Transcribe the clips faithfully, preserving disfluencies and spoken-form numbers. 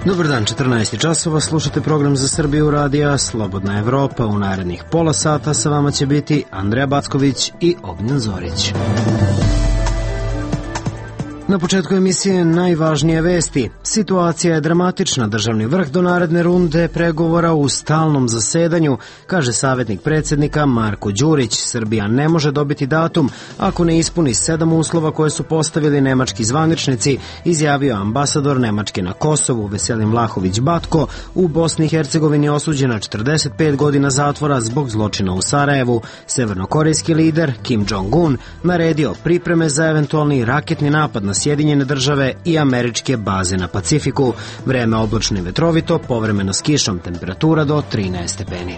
Dobar dan, četrnaest časova, slušate program za Srbiju radija Slobodna Evropa. U narednih pola sata sa vama će biti Andreja Backović i Ognjen Zorić. Na početku emisije najvažnije vesti. Situacija je dramatična. Državni vrh do naredne runde pregovora u stalnom zasedanju, kaže savjetnik predsjednika Marko Đurić. Srbija ne može dobiti datum ako ne ispuni sedam uslova koje su postavili nemački zvaničnici, izjavio ambasador Nemačke na Kosovu Veselin Vlahović Batko. U Bosni i Hercegovini osuđen na četrdeset pet godina zatvora zbog zločina u Sarajevu. Severnokorejski lider Kim Jong-un naredio pripreme za eventualni raketni napad na Sjedinjene države i američke baze na Pacifiku. Vreme oblačno i vetrovito, povremeno s kišom, temperatura do trinaest stepeni.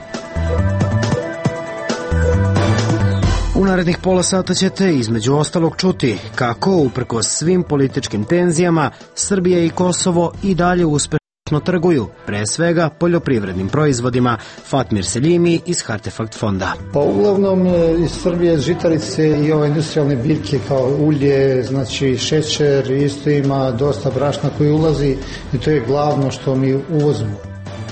U narednih pola sata ćete između ostalog čuti kako, uprkos svim političkim tenzijama, Srbija i Kosovo i dalje uspešno trguju, pre svega poljoprivrednim proizvodima. Fatmir Seljimi iz Hartefakt fonda. Pa uglavnom iz Srbije žitarice i ove industrijalne biljke kao ulje, znači šećer, isto ima dosta brašna koji ulazi i to je glavno što mi uvozimo.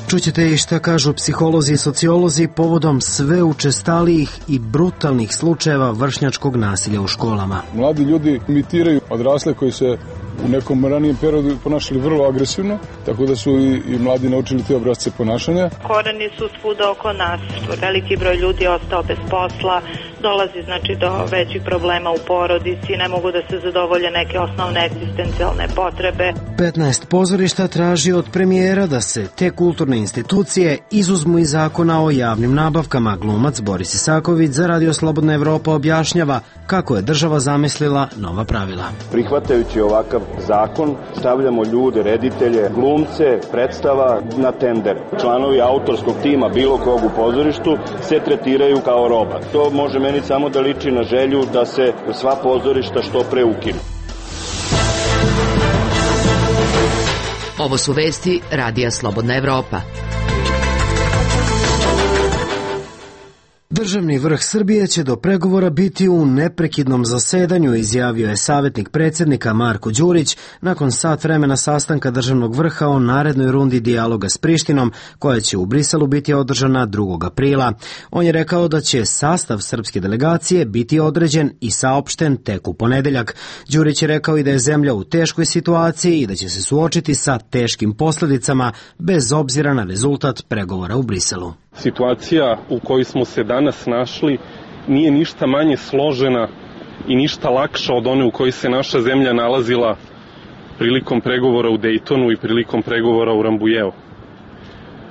Čućete i šta kažu psiholozi i sociolozi povodom sve učestalijih i brutalnih slučajeva vršnjačkog nasilja u školama. Mladi ljudi imitiraju odrasle koji se u nekom ranijem periodu ponašali vrlo agresivno, tako da su i, i mladi naučili te obrasce ponašanja. Koreni su svuda oko nas, veliki broj ljudi je ostao bez posla, dolazi znači do većih problema u porodici, ne mogu da se zadovolje neke osnovne egzistencijalne potrebe. petnaest pozorišta traži od premijera da se te kulturne institucije izuzmu iz zakona o javnim nabavkama. Glumac Boris Isaković za Radio Slobodna Evropa objašnjava kako je država zamislila nova pravila. Prihvatajući ovakav zakon, stavljamo ljude, reditelje, glumce, predstava na tender. Članovi autorskog tima bilo kog u pozorištu se tretiraju kao roba. To može meni samo da liči na želju da se sva pozorišta što pre ukinu. Ovo su vesti Radija Slobodna Evropa. Državni vrh Srbije će do pregovora biti u neprekidnom zasedanju, izjavio je savjetnik predsjednika Marko Đurić nakon sat vremena sastanka državnog vrha o narednoj rundi dijaloga s Prištinom, koja će u Briselu biti održana drugog aprila. On je rekao da će sastav srpske delegacije biti određen i saopšten tek u ponedeljak. Đurić je rekao i da je zemlja u teškoj situaciji i da će se suočiti sa teškim posljedicama bez obzira na rezultat pregovora u Briselu. Situacija u kojoj smo se danas našli nije ništa manje složena i ništa lakša od one u kojoj se naša zemlja nalazila prilikom pregovora u Dejtonu i prilikom pregovora u Rambujeu.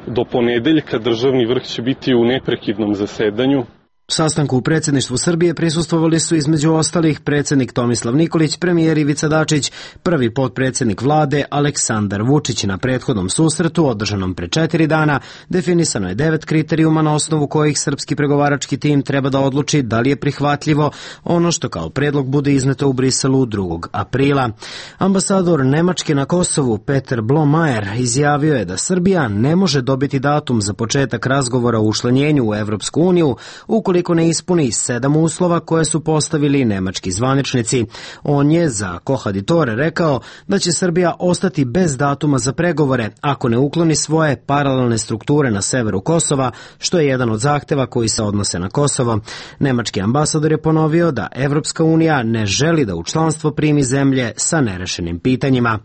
Do ponedeljka državni vrh će biti u neprekidnom zasedanju. Sastanku u predsjedništvu Srbije prisustvovali su između ostalih predsjednik Tomislav Nikolić, premijer Ivica Dačić, prvi potpredsjednik vlade Aleksandar Vučić. Na prethodnom susretu, održanom pre četiri dana, definisano je devet kriterijuma na osnovu kojih srpski pregovarački tim treba da odluči da li je prihvatljivo ono što kao predlog bude izneto u Briselu drugog aprila. Ambasador Nemačke na Kosovu Peter Blomajer izjavio je da Srbija ne može dobiti datum za početak razgovora o učlanjenju u Evropsku uniju ukoliko ukoliko ne ispuni sedam uslova koje su postavili nemački zvaničnici. On je za Kohaditore rekao da će Srbija ostati bez datuma za pregovore ako ne ukloni svoje paralelne strukture na severu Kosova, što je jedan od zahteva koji se odnose na Kosovo. Nemački ambasador je ponovio da Evropska unija ne želi da u članstvo primi zemlje sa nerešenim pitanjima.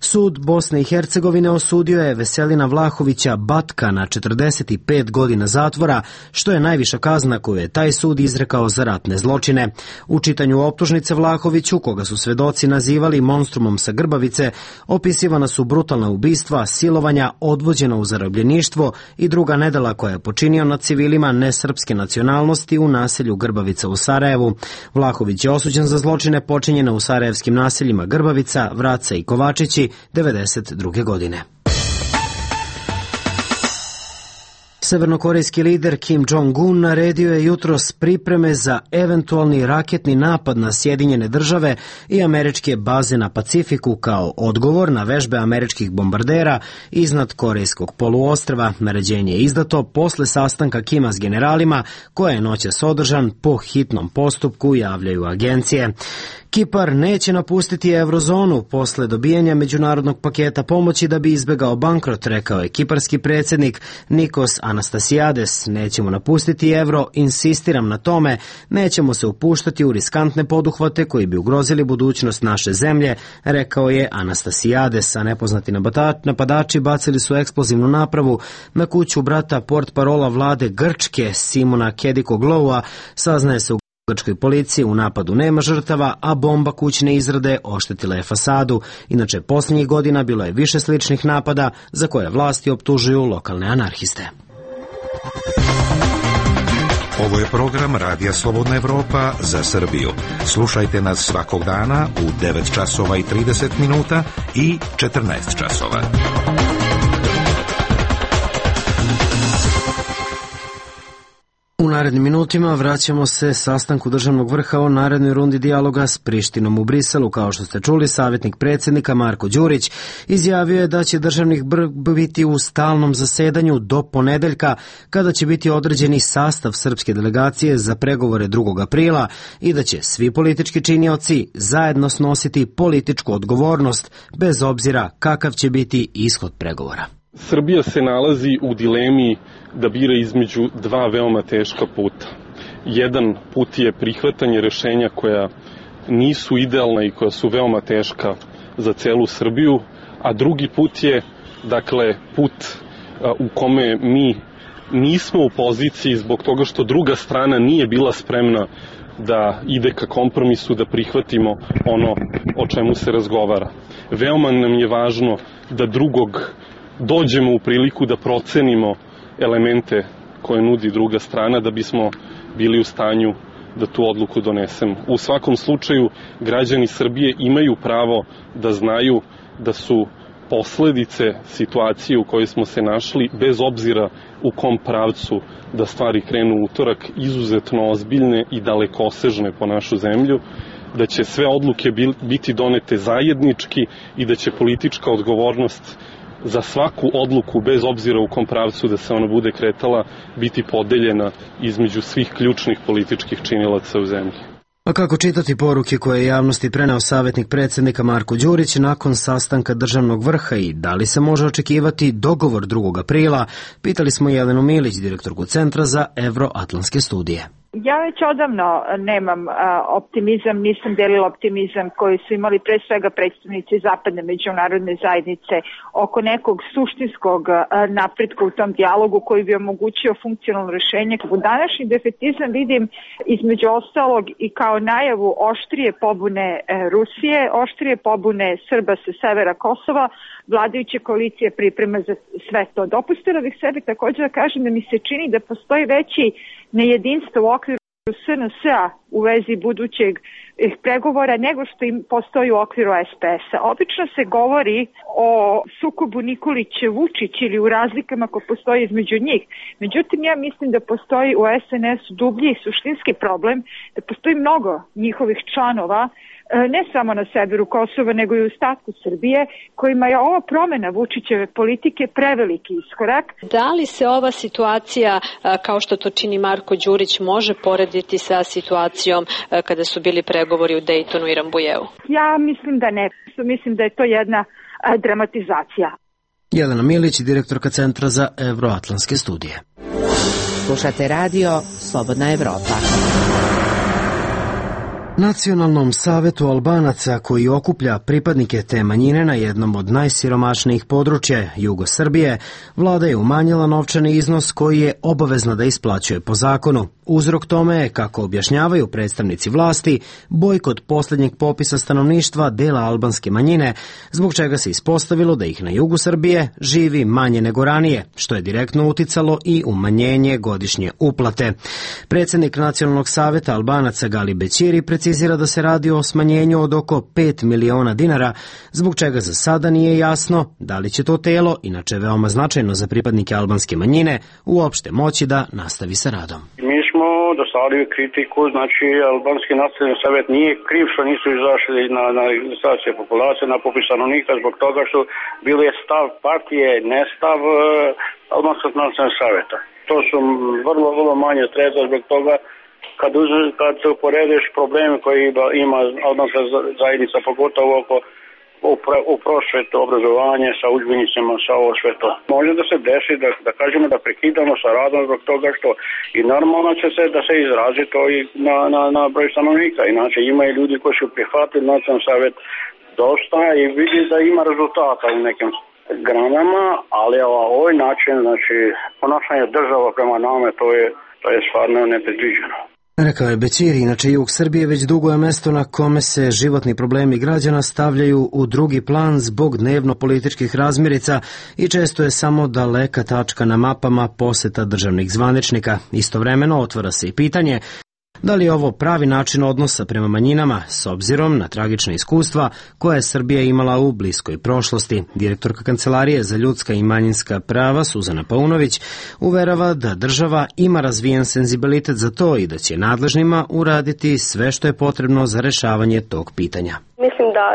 Sud Bosne i Hercegovine osudio je Veselina Vlahovića Batka na četrdeset pet godina zatvora, što je najviša kazna koju je taj sud izrekao za ratne zločine. U čitanju optužnice Vlahoviću, koga su svedoci nazivali monstrumom sa Grbavice, opisivana su brutalna ubistva, silovanja, odvođena u zarobljeništvo i druga nedela koja je počinio nad civilima nesrpske nacionalnosti u naselju Grbavica u Sarajevu. Vlahović je osuđen za zločine počinjene u sarajevskim naseljima Grbavica, Vraca i Kovačići devedeset druge godine. Severnokorejski lider Kim Jong-un naredio je jutros pripreme za eventualni raketni napad na Sjedinjene države i američke baze na Pacifiku kao odgovor na vežbe američkih bombardera iznad Korejskog poluostrva. Naređenje je izdato posle sastanka Kima s generalima, koje je noćas održan po hitnom postupku, javljaju agencije. Kipar neće napustiti eurozonu posle dobijanja međunarodnog paketa pomoći da bi izbegao bankrot, rekao je kiparski predsjednik Nikos Anastasiades. Nećemo napustiti evro, insistiram na tome, nećemo se upuštati u riskantne poduhvate koji bi ugrozili budućnost naše zemlje, rekao je Anastasiades. A nepoznati napadači bacili su eksplozivnu napravu na kuću brata portparola vlade Grčke Simona Kedikogloua. Saznaje se u grčkoj policiji u napadu nema žrtava, a bomba kućne izrade oštetila je fasadu. Inače, posljednjih godina bilo je više sličnih napada za koje vlasti optužuju lokalne anarhiste. Ovo je program Radija Slobodna Evropa za Srbiju. Slušajte nas svakog dana u devet časova i trideset minuta i četrnaest časova. U narednim minutima vraćamo se sastanku državnog vrha o narednoj rundi dijaloga s Prištinom u Briselu. Kao što ste čuli, savjetnik predsjednika Marko Đurić izjavio je da će državnih vrh biti u stalnom zasedanju do ponedeljka, kada će biti određeni sastav srpske delegacije za pregovore drugog aprila i da će svi politički činioci zajedno snositi političku odgovornost, bez obzira kakav će biti ishod pregovora. Srbija se nalazi u dilemi da bira između dva veoma teška puta. Jedan put je prihvatanje rešenja koja nisu idealna i koja su veoma teška za celu Srbiju, a drugi put je, dakle, put u kome mi nismo u poziciji zbog toga što druga strana nije bila spremna da ide ka kompromisu, da prihvatimo ono o čemu se razgovara. Veoma nam je važno da drugog dođemo u priliku da procenimo elemente koje nudi druga strana da bismo bili u stanju da tu odluku donesemo. U svakom slučaju, građani Srbije imaju pravo da znaju da su posledice situacije u kojoj smo se našli, bez obzira u kom pravcu da stvari krenu u utorak, izuzetno ozbiljne i dalekosežne po našu zemlju, da će sve odluke biti donete zajednički i da će politička odgovornost za svaku odluku, bez obzira u kom pravcu da se ona bude kretala, biti podeljena između svih ključnih političkih činilaca u zemlji. A kako čitati poruke koje je javnosti preneo savjetnik predsjednika Marko Đurić nakon sastanka državnog vrha i da li se može očekivati dogovor drugog aprila, pitali smo Jelenu Milić, direktorku Centra za evroatlantske studije. Ja već odavno nemam a, optimizam, nisam delila optimizam koji su imali pre svega predstavnici zapadne međunarodne zajednice oko nekog suštinskog a, napretka u tom dijalogu koji bi omogućio funkcionalno rešenje. U današnji defetizam vidim između ostalog i kao najavu oštrije pobune e, Rusije, oštrije pobune Srba sa severa Kosova, vladajuće koalicije priprema za sve to. Dopustila bih sebi također da kažem da mi se čini da postoji veći nejedinstvo u okviru S N S-a u vezi budućeg pregovora nego što im postoji u okviru S P S-a. Obično se govori o sukobu Nikolić-Vučić ili u razlikama koje postoji između njih. Međutim, ja mislim da postoji u S N S-u dublji i suštinski problem, da postoji mnogo njihovih članova, ne samo na severu Kosova, nego i u ostatku Srbije, kojima je ova promena Vučićeve politike preveliki iskorak. Da li se ova situacija, kao što to čini Marko Đurić, može porediti sa situacijom kada su bili pregovori u Dejtonu i Rambujevu? Ja mislim da ne. Mislim da je to jedna dramatizacija. Jelena Milić, direktorka Centra za evroatlantske studije. Slušate radio Slobodna Evropa. Nacionalnom savetu Albanaca, koji okuplja pripadnike te manjine na jednom od najsiromašnijih područja jugo Srbije, vlada je umanjila novčani iznos koji je obavezna da isplaćuje po zakonu. Uzrok tome je, kako objašnjavaju predstavnici vlasti, bojkot posljednjeg popisa stanovništva dela albanske manjine, zbog čega se ispostavilo da ih na jugu Srbije živi manje nego ranije, što je direktno uticalo i umanjenje godišnje uplate. Predsjednik Nacionalnog saveta Albanaca Gali Bećiri precizirao precizira da se radi o smanjenju od oko pet miliona dinara, zbog čega za sada nije jasno da li će to telo, inače veoma značajno za pripadnike albanske manjine, uopšte moći da nastavi sa radom. Mi smo dostavili kritiku, znači Albanski nacionalni savjet nije kriv što nisu izašli na, na registraciju populacije, na popis stanovnika, zbog toga što bilo je stav partije, ne stav uh, Albanskog nacionalnog savjeta. To su vrlo, vrlo manje sredstva zbog toga kad, uz, kad se uporediš probleme koje ima albanska zajednica, pogotovo oko u prosvetu, obrazovanje, sa udžbenicima, sa ovo sve to. Može da se desi da, da kažemo da prekidamo sa radom zbog toga što i normalno će se da se izrazi to i na, na, na broj stanovnika. Inače ima i ljudi koji su prihvatili nacionalni savjet dosta i vidi da ima rezultata u nekim granama, ali ovaj način, znači ponašanje država prema nama, to je, to je stvarno nepredviđeno. Rekao je Bećiri, inače jug Srbije već dugo je mesto na kome se životni problemi građana stavljaju u drugi plan zbog dnevno-političkih razmirica i često je samo daleka tačka na mapama poseta državnih zvaničnika. Istovremeno otvara se i pitanje da li je ovo pravi način odnosa prema manjinama s obzirom na tragična iskustva koje je Srbija imala u bliskoj prošlosti. Direktorka Kancelarije za ljudska i manjinska prava Suzana Paunović uverava da država ima razvijen senzibilitet za to i da će nadležnima uraditi sve što je potrebno za rešavanje tog pitanja. Mislim da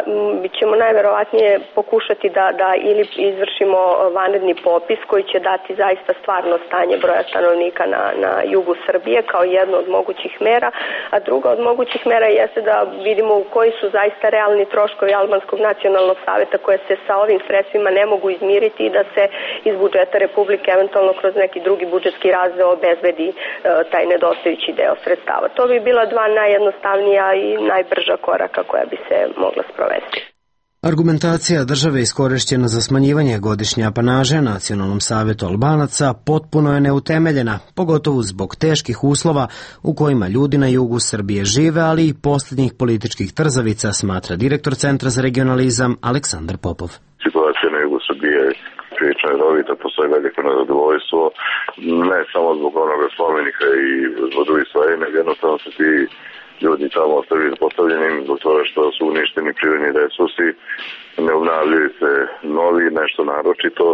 ćemo najverovatnije pokušati da, da ili izvršimo vanredni popis koji će dati zaista stvarno stanje broja stanovnika na, na jugu Srbije kao jedno od mogućih mera, a druga od mogućih mera jeste da vidimo u koji su zaista realni troškovi Albanskog nacionalnog savjeta koje se sa ovim sredstvima ne mogu izmiriti i da se iz budžeta Republike eventualno kroz neki drugi budžetski razdeo obezbedi e, taj nedostajući deo sredstava. To bi bila dva najjednostavnija i najbrža koraka koja bi se mogla sprovesti. Argumentacija države iskorišćena za smanjivanje godišnje apanaže Nacionalnom savetu Albanaca potpuno je neutemeljena, pogotovo zbog teških uslova u kojima ljudi na jugu Srbije žive, ali i posljednjih političkih trzavica, smatra direktor Centra za regionalizam Aleksandar Popov. Situacija na jugu Srbije prilično je redovita, postoji veliko nezadovoljstvo, ne samo zbog onoga spomenika i zbog drugih stvari, nego jednostavno se ti ljudi tamo ostali postavljeni zbog toga što su uništeni prirodni resursi, ne obnavljaju se novi, nešto naročito.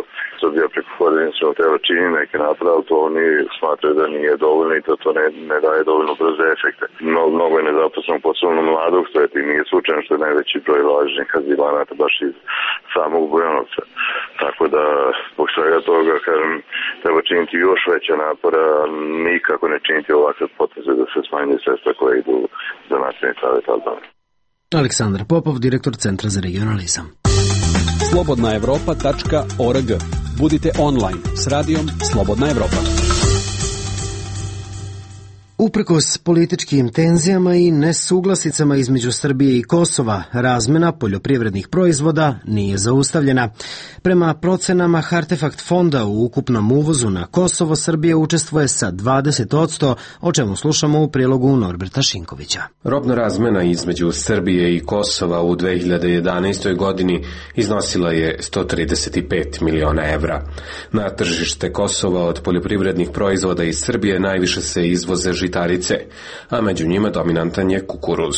Srbija preko koordinacionog tela čini neke napade, ali to oni smatraju da nije dovoljno i da to ne, ne daje dovoljno brze efekte. No, mnogo je nezaposlenog, posebno mladog sveta i nije slučajno što je najveći broj lažnih azilanata baš iz samog Bujanovca. Tako da, zbog svega toga, kažem, treba činiti još veća napora, nikako ne činiti ovakve poteze da se smanjuje sredstva koje idu za Nacionalni savet Albanije. Aleksandar Popov, direktor Centra za regionalizam. slobodna evropa tačka org. Budite online s radijom Slobodna Evropa. Uprkos političkim tenzijama i nesuglasicama između Srbije i Kosova, razmena poljoprivrednih proizvoda nije zaustavljena. Prema procenama Hartefakt fonda u ukupnom uvozu na Kosovo, Srbija učestvuje sa dvadeset posto, o čemu slušamo u prilogu Norberta Šinkovića. Robna razmena između Srbije i Kosova u dve hiljade jedanaestoj. godini iznosila je sto trideset pet miliona evra. Na tržište Kosova od poljoprivrednih proizvoda iz Srbije najviše se izvoze žitarice, a među njima dominantan je kukuruz.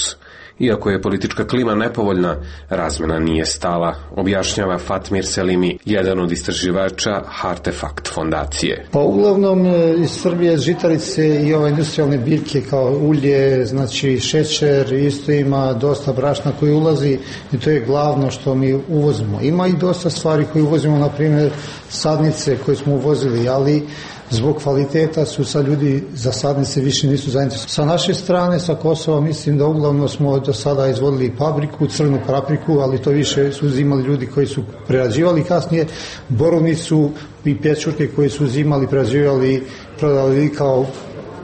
Iako je politička klima nepovoljna, razmena nije stala, objašnjava Fatmir Selimi, jedan od istraživača Hartefakt fondacije. Pa uglavnom iz Srbije žitarice i ove industrijalne biljke kao ulje, znači šećer, isto ima dosta brašna koji ulazi i to je glavno što mi uvozimo. Ima i dosta stvari koje uvozimo, na primjer sadnice koje smo uvozili, ali zbog kvaliteta su sad ljudi za sadnice više nisu zainteresovani. Sa naše strane, sa Kosova, mislim da uglavnom smo do sada izvodili papriku, crnu papriku, ali to više su uzimali ljudi koji su prerađivali kasnije, borovnicu i pečurke koji su uzimali, prerađivali, prodali kao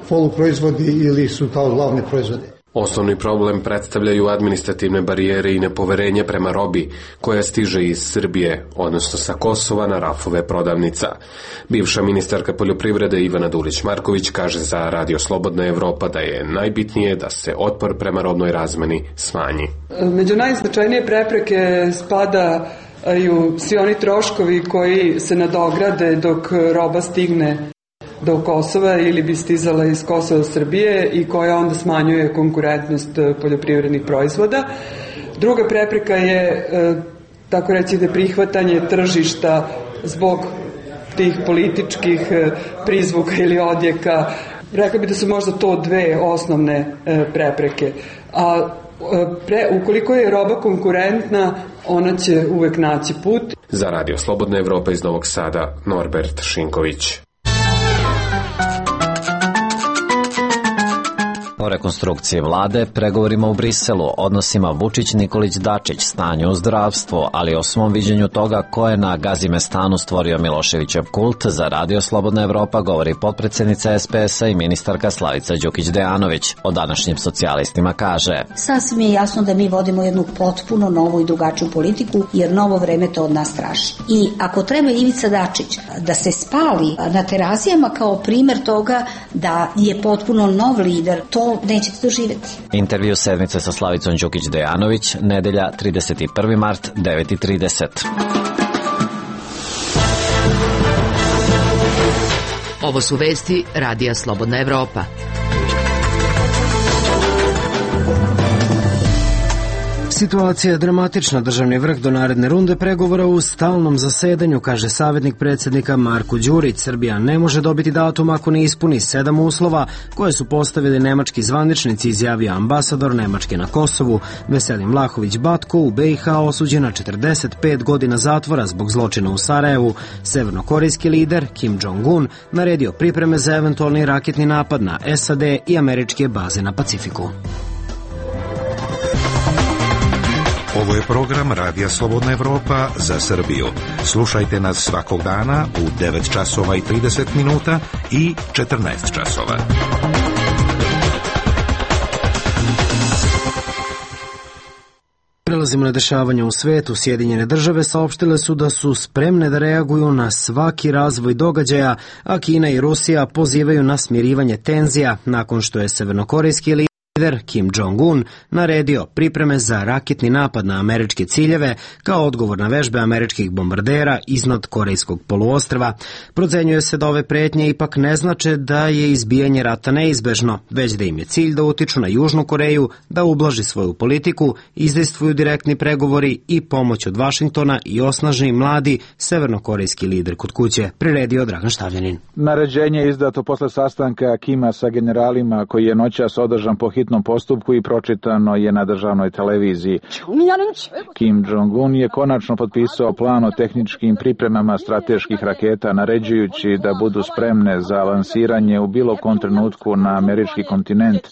poluproizvodi ili su kao glavne proizvode. Osnovni problem predstavljaju administrativne barijere i nepoverenje prema robi koja stiže iz Srbije, odnosno sa Kosova na rafove prodavnica. Bivša ministarka poljoprivrede Ivana Dulić-Marković kaže za Radio Slobodna Evropa da je najbitnije da se otpor prema robnoj razmeni smanji. Među najznačajnije prepreke spadaju svi oni troškovi koji se nadograde dok roba stigne do Kosova ili bi stizala iz Kosova do Srbije i koja onda smanjuje konkurentnost poljoprivrednih proizvoda. Druga prepreka je, tako reći, da prihvatanje tržišta zbog tih političkih prizvuka ili odjeka. Rekla bi da su možda to dve osnovne prepreke. A pre, ukoliko je roba konkurentna, ona će uvek naći put. Za Radio Slobodna Evropa iz Novog Sada, Norbert Šinković. O rekonstrukciji vlade, pregovorima u Briselu, odnosima Vučić-Nikolić-Dačić, stanju u zdravstvu, ali o svom viđenju toga ko je na Gazimestanu stvorio Miloševićev kult, za Radio Slobodna Evropa govori potpredsednica es pe es a i ministarka Slavica Đukić-Dejanović. O današnjim socijalistima kaže: Sasvim je jasno da mi vodimo jednu potpuno novu i drugačiju politiku, jer novo vreme to od nas traži. I ako treba Ivica Dačić da se spali na terazijama kao primer toga da je potpuno nov lider, to nećete doživjeti. Intervju sedmice sa Slavicom Đukić-Dejanović, nedelja trideset prvi mart, devet i trideset. Ovo su vesti Radija Slobodna Evropa. Situacija je dramatična. Državni vrh do naredne runde pregovora u stalnom zasedanju, kaže savjetnik predsjednika Marko Đurić. Srbija ne može dobiti datum ako ne ispuni sedam uslova koje su postavili nemački zvaničnici, izjavio ambasador Nemačke na Kosovu. Veselin Vlahović Batko u be i ha osuđen na četrdeset pet godina zatvora zbog zločina u Sarajevu. Severnokorejski lider Kim Jong-un naredio pripreme za eventualni raketni napad na es a de i američke baze na Pacifiku. Ovo je program Radija Slobodna Evropa za Srbiju. Slušajte nas svakog dana u devet časova i trideset minuta i četrnaest časova. Prelazimo na dešavanja u svetu. Sjedinjene države saopštile su da su spremne da reaguju na svaki razvoj događaja, a Kina i Rusija pozivaju na smirivanje tenzija nakon što je severnokorejski lider Lider Kim Jong-un naredio pripreme za raketni napad na američke ciljeve kao odgovor na vežbe američkih bombardera iznad Korejskog poluostrva. Procenjuje se da ove pretnje ipak ne znače da je izbijanje rata neizbežno, već da im je cilj da utiču na Južnu Koreju, da ublaži svoju politiku, izdejstvuju direktni pregovori i pomoć od Vašingtona i osnaži mladi severnokorejski lider kod kuće, priredio Dragan Štavljanin. Naređenje je izdato posle sastanka Kima sa generalima koji je noćas održan po hitnom postupku i pročitano je na državnoj televiziji. Kim Jong-un je konačno potpisao plan o tehničkim pripremama strateških raketa, naređujući da budu spremne za lansiranje u bilo kom trenutku na američki kontinent.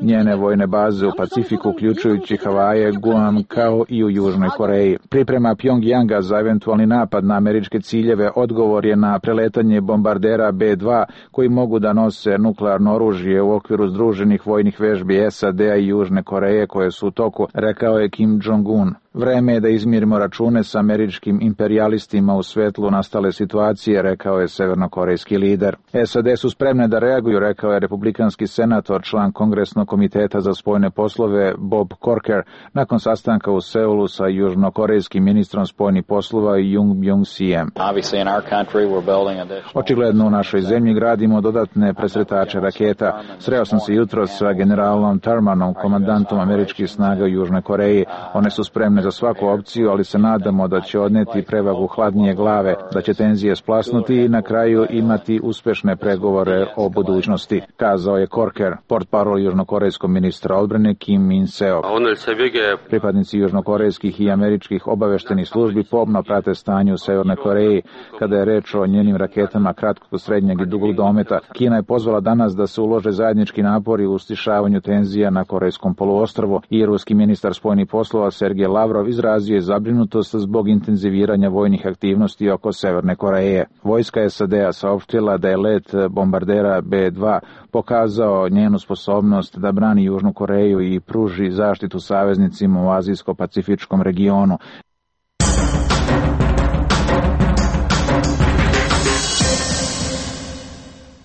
Njene vojne baze u Pacifiku, uključujući Havaje, Guam, kao i u Južnoj Koreji. Priprema Pjongjanga za eventualni napad na američke ciljeve odgovor je na preletanje bombardera be dva koji mogu da nose nuklearno oružje u okviru združenih vojnih vežbi es a de i Južne Koreje koje su u toku, rekao je Kim Jong-un. Vreme je da izmirimo račune sa američkim imperijalistima u svetlu nastale situacije, rekao je severnokorejski lider. es a de su spremne da reaguju, rekao je republikanski senator, član Kongresnog komiteta za spoljne poslove Bob Corker, nakon sastanka u Seulu sa južnokorejskim ministrom spoljnih poslova Jung Byung-sijem. Očigledno u našoj zemlji gradimo dodatne presretače raketa. Sreo sam se jutros sa generalom Thurmanom, komandantom američkih snaga u Južnoj Koreji. One su spremne za svaku opciju, ali se nadamo da će odneti prevagu hladnije glave, da će tenzije splasnuti i na kraju imati uspešne pregovore o budućnosti, kazao je Corker, portparol južnokorejskog ministra odbrane Kim Min-seo. Pripadnici južnokorejskih i američkih obaveštenih službi pomno prate stanje u Severnoj Koreji kada je reč o njenim raketama kratkog, srednjeg i dugog dometa. Kina je pozvala danas da se ulože zajednički napori u stišavanju tenzija na Korejskom poluostrvu i ruski ministar spoljnih poslova Sergej Lavrov izrazio je zabrinutost zbog intenziviranja vojnih aktivnosti oko Severne Koreje. Vojska es a de saopštila da je let bombardera be dva pokazao njenu sposobnost da brani Južnu Koreju i pruži zaštitu saveznicima u azijsko-pacifičkom regionu.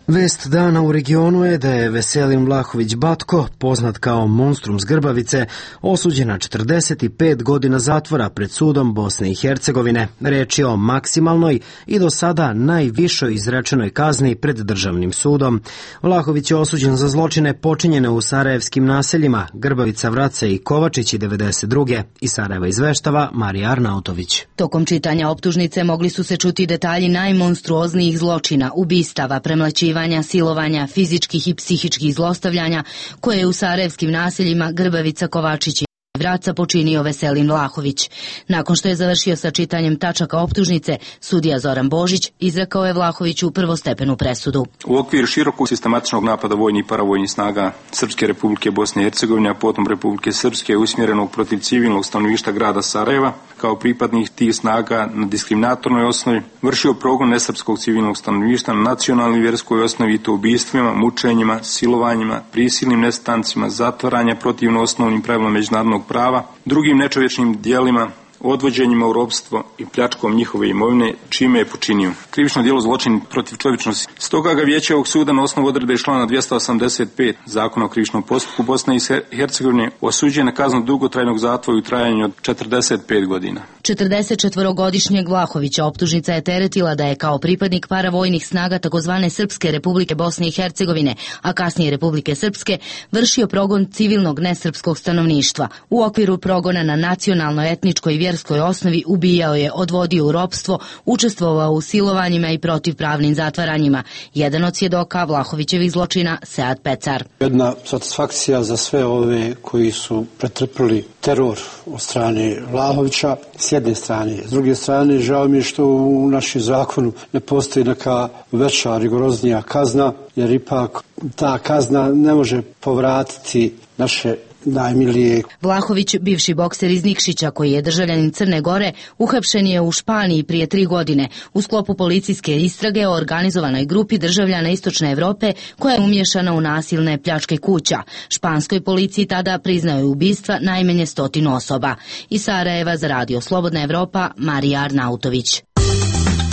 Vest dana u regionu je da je Veselin Vlahović Batko, poznat kao monstrum s Grbavice, osuđen na četrdeset pet godina zatvora pred sudom Bosne i Hercegovine. Reč je o maksimalnoj i do sada najvišoj izrečenoj kazni pred državnim sudom. Vlahović je osuđen za zločine počinjene u sarajevskim naseljima Grbavica, Vrace i Kovačići devedeset druge. Iz Sarajeva izveštava Marija Arnautović. Tokom čitanja optužnice mogli su se čuti detalji najmonstruoznijih zločina, ubistava, premlaćivanja, silovanja, fizičkih i psihičkih zlostavljanja koje je u sarajevskim naseljima Grbavica, Kovačići i Vraca počinio Veselin Vlahović. Nakon što je završio sa čitanjem tačaka optužnice, sudija Zoran Božić izrekao je Vlahoviću prvostepenu presudu. U okviru širokog sistematičnog napada vojnih i paravojnih snaga Srpske Republike Bosne i Hercegovine, a potom Republike Srpske, usmjerenog protiv civilnog stanovništva grada Sarajeva, kao pripadnih tih snaga na diskriminatornoj osnovi, vršio progon nesrpskog civilnog stanovništva na nacionalnoj i vjerskoj osnovi, i to ubistvima, mučenjima, silovanjima, prisilnim nestancima, zatvaranja protivno osnovnim pravilima međunarodnog prava, drugim nečovječnim dijelima, odvođenjima u ropstvo i pljačkom njihove imovine, čime je počinio krivično djelo zločin protiv čovječnosti. Stoga ga vijeće ovog suda na osnovu odredbe člana dvjesto osamdeset pet Zakona o krivičnom postupku Bosne i Hercegovine osuđuje na kaznu dugotrajnog zatvora u trajanju od četrdeset pet godina. četrdesetčetvorogodišnjeg Vlahovića optužnica je teretila da je kao pripadnik paravojnih snaga takozvane Srpske Republike Bosne i Hercegovine, a kasnije Republike Srpske, vršio progon civilnog nesrpskog stanovništva. U okviru progona na nacionalnoj, etničkoj i vjerskoj osnovi ubijao je, odvodio u ropstvo, učestvovao u silovanjima i protivpravnim zatvaranjima. Jedan od svjedoka Vlahovićevih zločina, Sead Pecar. Jedna satisfakcija za sve ove koji su pretrpili teror od strane Vlahovića, s jedne strane. S druge strane, žao mi je što u našem zakonu ne postoji neka veća, rigoroznija kazna, jer ipak ta kazna ne može povratiti naše najmilije. Vlahović, bivši bokser iz Nikšića koji je državljanin Crne Gore, uhapšen je u Španiji prije tri godine u sklopu policijske istrage o organizovanoj grupi državljana Istočne Evrope koja je umješana u nasilne pljačke kuća. Španskoj policiji tada priznao je ubistva najmanje stotinu osoba. Iz Sarajeva za Radio Slobodna Evropa, Marija Arnautović.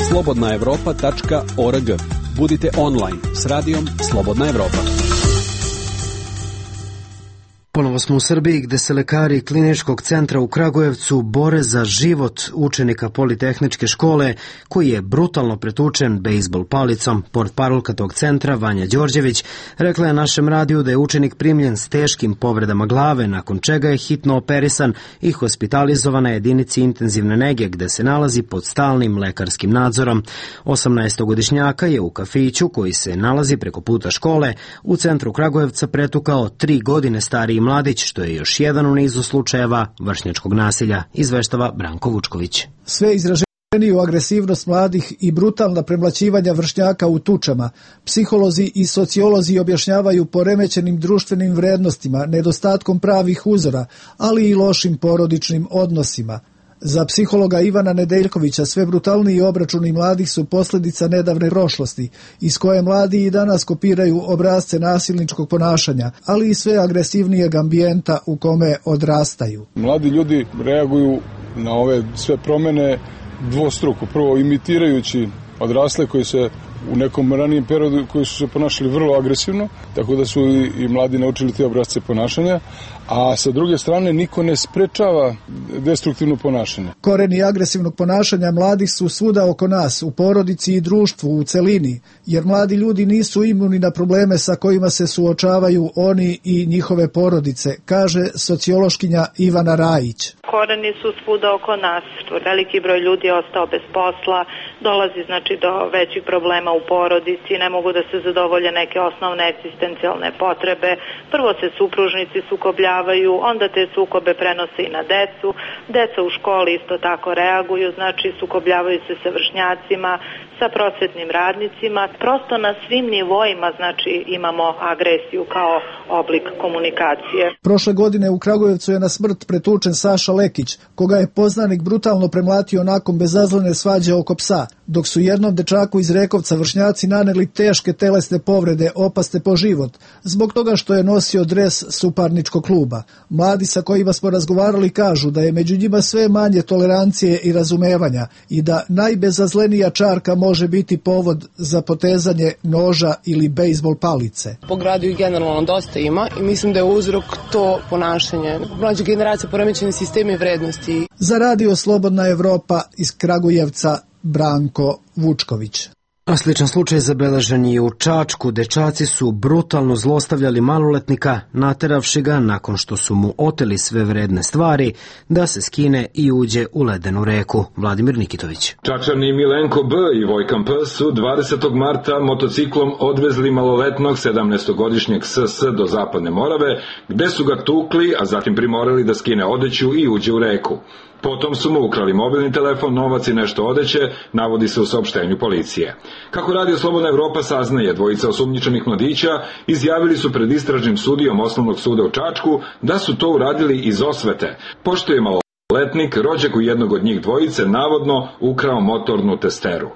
slobodna evropa tačka org. Budite online s radijom Slobodna Evropa. Ponovo smo u Srbiji gde se lekari Kliničkog centra u Kragujevcu bore za život učenika Politehničke škole koji je brutalno pretučen bejsbol palicom. Portparolka tog centra, Vanja Đorđević, rekla je našem radiju da je učenik primljen s teškim povredama glave, nakon čega je hitno operisan i hospitalizovan na jedinici intenzivne nege gde se nalazi pod stalnim lekarskim nadzorom. osamnaestogodišnjaka je u kafiću koji se nalazi preko puta škole u centru Kragujevca pretukao tri godine stariji mladić, što je još jedan u nizu slučajeva vršnjačkog nasilja, izveštava Branko Vučković. Sve izraženiju agresivnost mladih i brutalna premlaćivanja vršnjaka u tučama, psiholozi i sociolozi objašnjavaju poremećenim društvenim vrednostima, nedostatkom pravih uzora, ali i lošim porodičnim odnosima. Za psihologa Ivana Nedeljkovića sve brutalniji obračuni mladih su posljedica nedavne prošlosti, iz koje mladi i danas kopiraju obrasce nasilničkog ponašanja, ali i sve agresivnijeg ambijenta u kome odrastaju. Mladi ljudi reaguju na ove sve promjene dvostruko. Prvo imitirajući odrasle koji se u nekom ranijem periodu koji su se ponašali vrlo agresivno, tako da su i, i mladi naučili te obrasce ponašanja, a sa druge strane niko ne sprečava destruktivno ponašanje. Koreni agresivnog ponašanja mladih su svuda oko nas, u porodici i društvu u celini, jer mladi ljudi nisu imuni na probleme sa kojima se suočavaju oni i njihove porodice, kaže sociološkinja Ivana Rajić. Koreni su svuda oko nas. Veliki broj ljudi je ostao bez posla, dolazi znači do većih problema u porodici, ne mogu da se zadovolje neke osnovne egzistencijalne potrebe. Prvo se supružnici sukobljavaju, onda te sukobe prenose i na decu. Deca u školi isto tako reaguju, znači sukobljavaju se sa vršnjacima, sa prosvetnim radnicima. Prosto na svim nivoima znači imamo agresiju kao oblik komunikacije. Prošle godine u Kragujevcu je na smrt pretučen Saša Lekić, koga je poznanik brutalno premlatio nakon bezazlene svađe oko psa. dok su jednom dečaku iz Rekovca vršnjaci naneli teške telesne povrede opasne po život, zbog toga što je nosio dres suparničkog kluba. Mladi sa kojima smo razgovarali kažu da je među njima sve manje tolerancije i razumevanja i da najbezazlenija čarka može biti povod za potezanje noža ili bejzbol palice. Po gradu i generalno dosta ima i mislim da je uzrok to ponašanje. Mlađa generacija, poremećeni sistemi vrednosti. Za Radio Slobodna Evropa iz Kragujevca, Branko Vučković. A sličan slučaj zabeležen je u Čačku. Dečaci su brutalno zlostavljali maloletnika, nateravši ga nakon što su mu oteli sve vredne stvari da se skine i uđe u ledenu reku. Vladimir Nikitović. Čačani Milenko B i Vojkan P su dvadesetog marta motociklom odvezli maloletnog sedamnaestogodišnjeg S S do Zapadne Morave, gde su ga tukli, a zatim primorali da skine odeću i uđe u reku. Potom su mu ukrali mobilni telefon, novac i nešto odeće, navodi se u saopštenju policije. Kako Radio Slobodna Evropa saznaje, dvojica osumnjičenih mladića izjavili su pred istražnim sudijom Osnovnog suda u Čačku da su to uradili iz osvete, pošto je maloletnik, rođak u jednog od njih dvojice, navodno ukrao motornu testeru.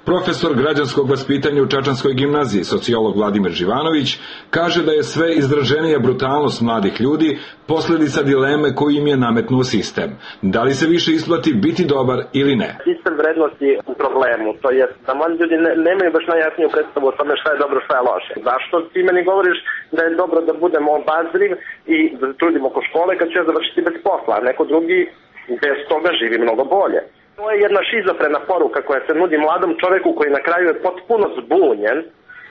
Profesor građanskog vaspitanja u Čačanskoj gimnaziji, sociolog Vladimir Živanović, kaže da je sve izraženija brutalnost mladih ljudi posljedica dileme koju im je nametnuo sistem. Da li se više isplati biti dobar ili ne? Sistem vrednosti u problemu, to je da mladi ljudi ne, nemaju baš najjasniju predstavu o tome šta je dobro, šta je loše. Zašto ti meni govoriš da je dobro da budemo obazriv i da se trudimo oko škole kad ću ja završiti bez posla, a neko drugi bez toga živi mnogo bolje. To je jedna šizofrena poruka koja se nudi mladom čoveku koji na kraju je potpuno zbunjen,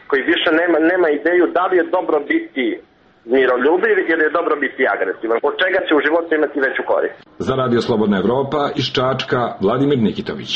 koji više nema, nema ideju da li je dobro biti miroljubiv ili je dobro biti agresivan. Od čega će u životu imati veću korist? Za Radio Slobodna Evropa iz Čačka, Vladimir Nikitović.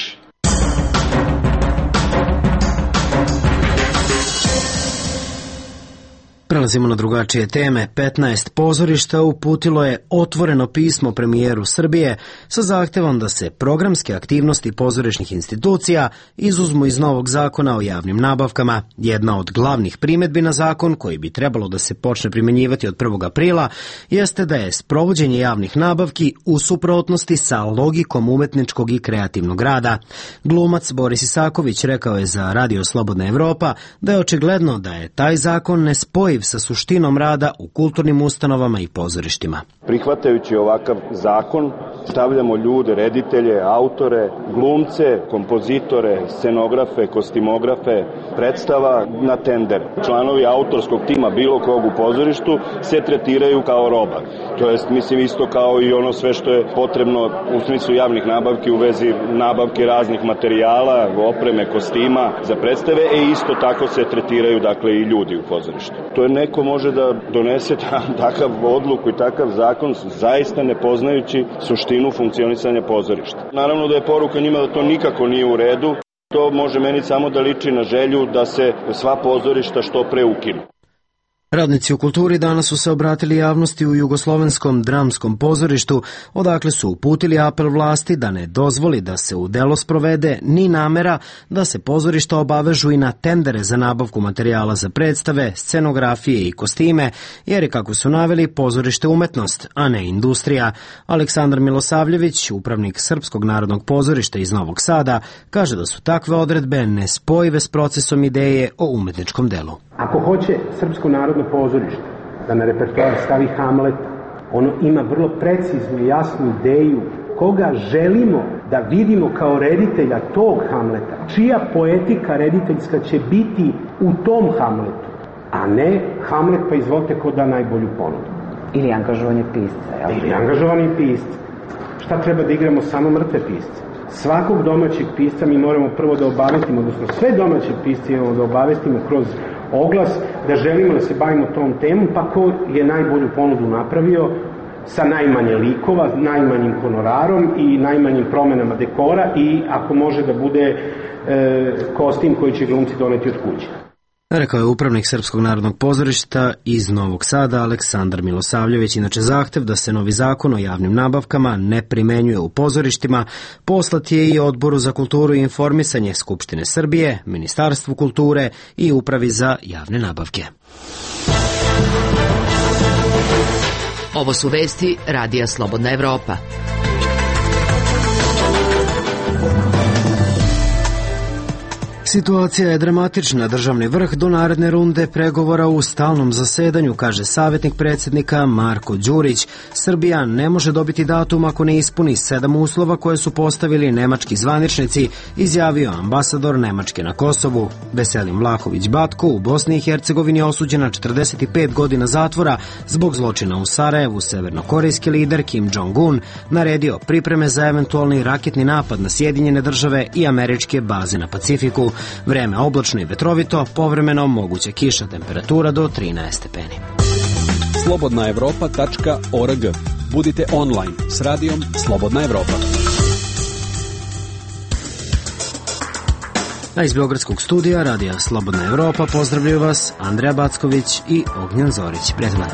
Prelazimo na drugačije teme. petnaest pozorišta uputilo je otvoreno pismo premijeru Srbije sa zahtevom da se programske aktivnosti pozorišnih institucija izuzmu iz novog zakona o javnim nabavkama. Jedna od glavnih primedbi na zakon, koji bi trebalo da se počne primenjivati od prvog aprila, jeste da je sprovođenje javnih nabavki u suprotnosti sa logikom umetničkog i kreativnog rada. Glumac Boris Isaković rekao je za Radio Slobodna Evropa da je očigledno da je taj zakon nespojiv sa suštinom rada u kulturnim ustanovama i pozorištima. Prihvatajući ovakav zakon, stavljamo ljude, reditelje, autore, glumce, kompozitore, scenografe, kostimografe, predstava na tender. Članovi autorskog tima bilo kog u pozorištu se tretiraju kao roba. To jest, mislim, isto kao i ono sve što je potrebno u smislu javnih nabavki u vezi nabavke raznih materijala, opreme, kostima za predstave, e isto tako se tretiraju, dakle, i ljudi u pozorištu. To je neko može da donese takav odluku i takav zakon zaista ne poznajući suštinu funkcionisanja pozorišta. Naravno da je poruka njima da to nikako nije u redu. To može meni samo da liči na želju da se sva pozorišta što pre ukinu. Radnici u kulturi danas su se obratili javnosti u Jugoslovenskom dramskom pozorištu, odakle su uputili apel vlasti da ne dozvoli da se u delo sprovede ni namera da se pozorišta obavežu i na tendere za nabavku materijala za predstave, scenografije i kostime, jer je, kako su naveli, pozorište umetnost, a ne industrija. Aleksandar Milosavljević, upravnik Srpskog narodnog pozorišta iz Novog Sada, kaže da su takve odredbe nespojive s procesom ideje o umetničkom delu. Ako hoće Srpsko narodno pozorište da na repertoar stavi Hamleta, ono ima vrlo preciznu i jasnu ideju koga želimo da vidimo kao reditelja tog Hamleta, čija poetika rediteljska će biti u tom Hamletu, a ne Hamlet pa izvolite ko da najbolju ponudu. Ili angažovanje pisca. Jel? Ili angažovanje pisca. Šta treba da igramo? Samo mrtve pisce. Svakog domaćeg pisca mi moramo prvo da obavestimo, odnosno sve domaće pisce imamo da obavestimo kroz oglas da želimo da se bavimo tom temom, pa ko je najbolju ponudu napravio sa najmanje likova, najmanjim honorarom i najmanjim promenama dekora i ako može da bude e, kostim koji će glumci doneti od kuće. Rekao je upravnik Srpskog narodnog pozorišta iz Novog Sada Aleksandar Milosavljević. Inače, zahtev da se novi zakon o javnim nabavkama ne primenjuje u pozorištima poslat je i Odboru za kulturu i informisanje Skupštine Srbije, Ministarstvu kulture i Upravi za javne nabavke. Ovo su vesti Radija Slobodna Evropa. Situacija je dramatična. Državni vrh do naredne runde pregovora u stalnom zasedanju, kaže savjetnik predsjednika Marko Đurić. Srbija ne može dobiti datum ako ne ispuni sedam uslova koje su postavili nemački zvaničnici, izjavio ambasador Nemačke na Kosovu. Veselin Vlahović Batko u Bosni i Hercegovini je osuđen na četrdeset pet godina zatvora zbog zločina u Sarajevu. Severnokorejski lider Kim Jong-un naredio pripreme za eventualni raketni napad na Sjedinjene države i američke baze na Pacifiku. Vreme oblačno i vetrovito, povremeno moguća kiša, temperatura do trinaest stepeni. slobodna evropa tačka org. Budite online s radijom Slobodna Evropa. A iz Beogradskog studija radija Slobodna Evropa pozdravljaju vas Andreja Backović i Ognjen Zorić. Prijatno.